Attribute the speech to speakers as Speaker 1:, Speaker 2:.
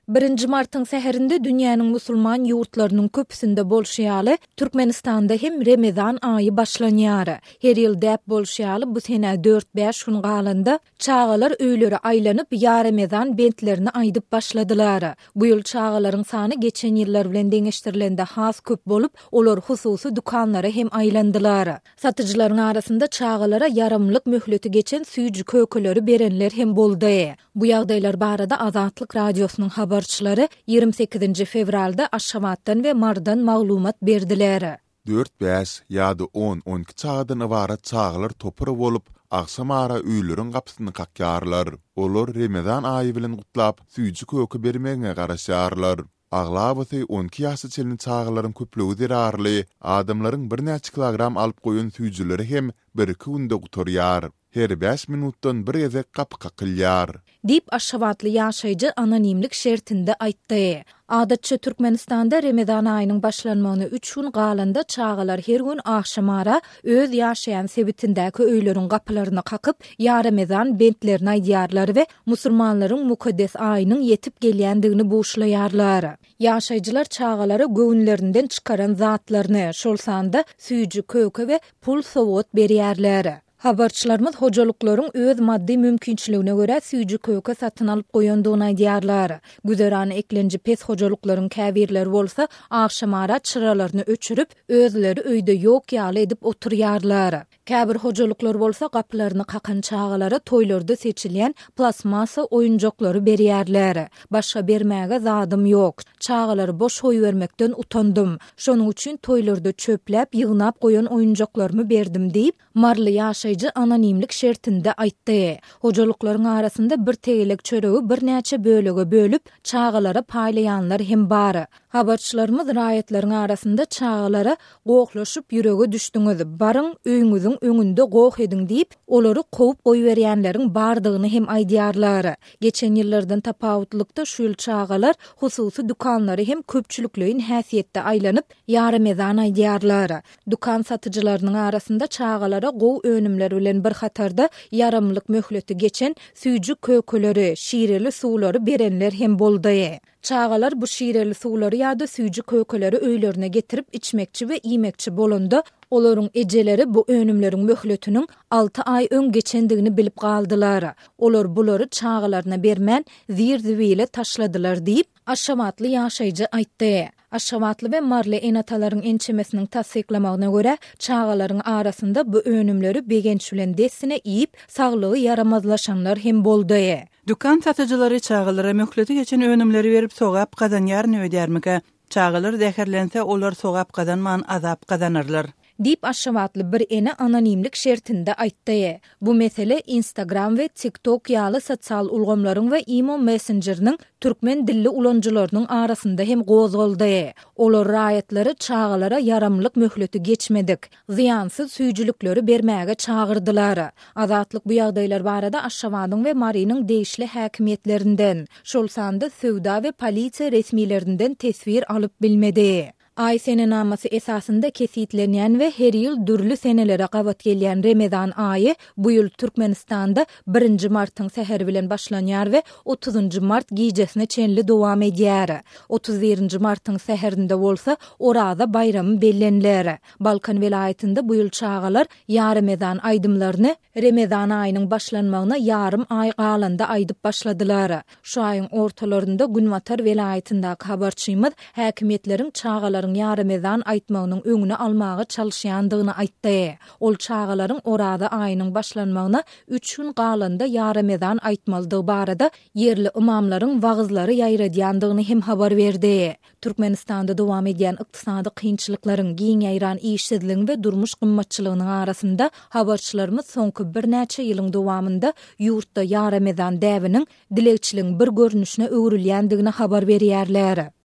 Speaker 1: Birinji martyň säherinde dünýäniň musulman ýurtlarynyň köpüsinde bolşy ýaly, Türkmenistanda hem Remezan aýy başlanýar. Her ýyl däp bolşy ýaly, bu senä dört-bäş gün galanda, çagalar öýlere aýlanyp, Ýa Remezan bentlerini aýdyp başladylar. Bu ýyl çagalaryň sany geçen ýyllar bilen deňeşdirilende has köp bolup, olar hususy dükanlara hem aýlandylar. Satyjylaryň arasynda çagalara ýaramlyk möhleti geçen süýji-kökeleri berenler hem boldy. Bu ýagdaýlar barada Azatlyk Radiosynyň habarçylary 28-nji fewralda Aşgabatdan we Marydan maglumat berdiler.
Speaker 2: Dört-bäş ýa-da on-on iki çagadan ybarat çagalar topar bolup, agşamara öýleriň gapysyny kakýarlar. Olar Remezan aýy bilen gutlap, süýji-köke bermegiňe garaşýarlar. Aglabasy on iki ýaşa çenli çagalaryň köplügi zerarly, adamlaryň birnäçe kilogram alyp goýan süýjüleri hem bir-iki günde gutarýar. Her bäş minutdan bir gezek gapy kakylýar.
Speaker 1: Diýip, aşgabatly ýaşaýjy anonimlik şertinde aýtdy. Adatça, Türkmenistanda Remezan aýynyň başlanmagyna üç gün galanda çagalar her gün agşamara öz ýaşaýan sebitindäki öýleriň gapylaryny kakyp, Ýa Remezan bentlerini aýdýarlar we musulmanlaryň mukaddes aýynyň ýetip gelýändigini buşlaýarlar. Ýaşaýjylar çagalara göwünlerinden çykaran zatlaryny, şol sanda süýji-köke we pul sowgat berýärler. Habarçylarymyz hojalyklaryň öz maddy mümkinçiligine görä süýji-köke satyn alyp goýandygyny aýdýarlar. Güzeran eklenji pes hojalyklaryň käbirleri bolsa agşamara çyralaryny öçürip, özleri öýde ýok ýaly edip oturýarlar. Käbir hojalyklar bolsa gapylaryny kakan çagalara toýlarda seçilýän plastmassa oýunjaklary berýärler. Başga bermäge zadym ýok. Çagalary boş goýbermekden utandym. Şonuň üçin toýlarda çöpläp, ýygnap goýan oýunjaklarymy berdim diýip, maryly ýaşaýjy anonimlik şertinde aýtdy. Hojalyklaryň arasynda bir tegelek çöregi birnäçe bölege bölüp, çagalara paýlaýanlar hem bar. Habarçylarymyz raýatlaryň arasynda çagalara Gohlaşyp ýürege düşdüňiz, baryň, öýüňiziň öňünde goh ediň diýip, olary kowup goýberýänleriň bardygyny hem aýdýarlar. Geçen ýyllardan tapawutlykda şu ýyl çagalar hususy dükanlara hem köpçülikleýin häsiýetde aýlanyp, ýaremezan aýdýarlar. Dükan satyjylarynyň arasynda çagalara gowy önümler bilen bir hatarda ýaramlyk möhleti geçen süýji-kökeleri, şireli suwlary berenler hem boldy. Çagalar bu şireli suwlary ýa-da süýji-kökeleri öýlerine getirip içmekçi we iýmekçi bolanda, olaryň ejeleri bu önümleriň möhletiniň alty aý öň geçendigini bilip galdylar. Olar bulary çagalaryna bermän, zir-zibile taşladylar diýip, aşgabatly ýaşaýjy aýtdy. Aşgabatly we maryly ene-atalaryň ençemesiniň tassyklamagyna görä, çagalaryň arasynda bu önümleri begenç bilen dessine iýip, saglygy ýaramazlaşanlar hem boldy.
Speaker 3: Dükan satyjylary çagalara möhleti geçen önümleri berip sogap gazanýaryn öýdýärmikä? Çagalar zäherlense olar sogap gazanman azap gazanarlar.
Speaker 1: Diýip, aşgabatly bir ene anonimlik şertinde aýtdy. Bu mesele Instagram we TikTok ýaly sosial ulgamlaryň we Imo messenjeriniň türkmen dilli ulanyjylarynyň arasynda hem gozgaldy. Olar raýatlary çagalara ýaramlyk möhleti geçmedik, zyýansyz süýjülikleri bermäge çagyrdylar. Azatlyk bu ýagdaýlar barada Aşgabadyň we Marynyň degişli häkimiýetlerinden, şol sanda söwda we polisiýa resmilerinden teswir alyp bilmedi. Aý senenamasy esasynda kesgitlenýän we her ýyl dürli senelere gabat gelýän Remezan aýy bu ýyl Türkmenistanda birinji martyň säheri bilen başlanýar we otuzynjy mart gijesine çenli dowam edýär. Otuz birinji martyň säherinde bolsa Oraza baýramy belleniler. Balkan welaýatynda bu ýyl çagalar Ýaremezan aýdymlaryny Remezan aýynyň başlanmagyna ýarym aý galanda aýdyp başladylar. Şu aýyň ortalarynda günbatar welaýatyndaky habarçymyz häkimiýetleriň çagalaryň ýaremezan aýtmagynyň öňüni almaga çalyşýandygyny aýtdy. Ol çagalaryň Oraza aýynyň başlanmagyna üç gün galanda ýaremezan aýtmalydygy barada ýerli ymamlaryň wagyzlary ýaýradýandygyny hem habar berdi. Türkmenistanda dowam edýän ykdysady kynçylyklaryň, giň ýaýran işsizligiň we durmuş gymmatçylygynyň arasynda habarçylarymyz soňky birnäçe ýylyň dowamynda ýurtda ýaremezan däbiniň dilegçiligiň bir görnüşine öwrülýändigini habar berýärler.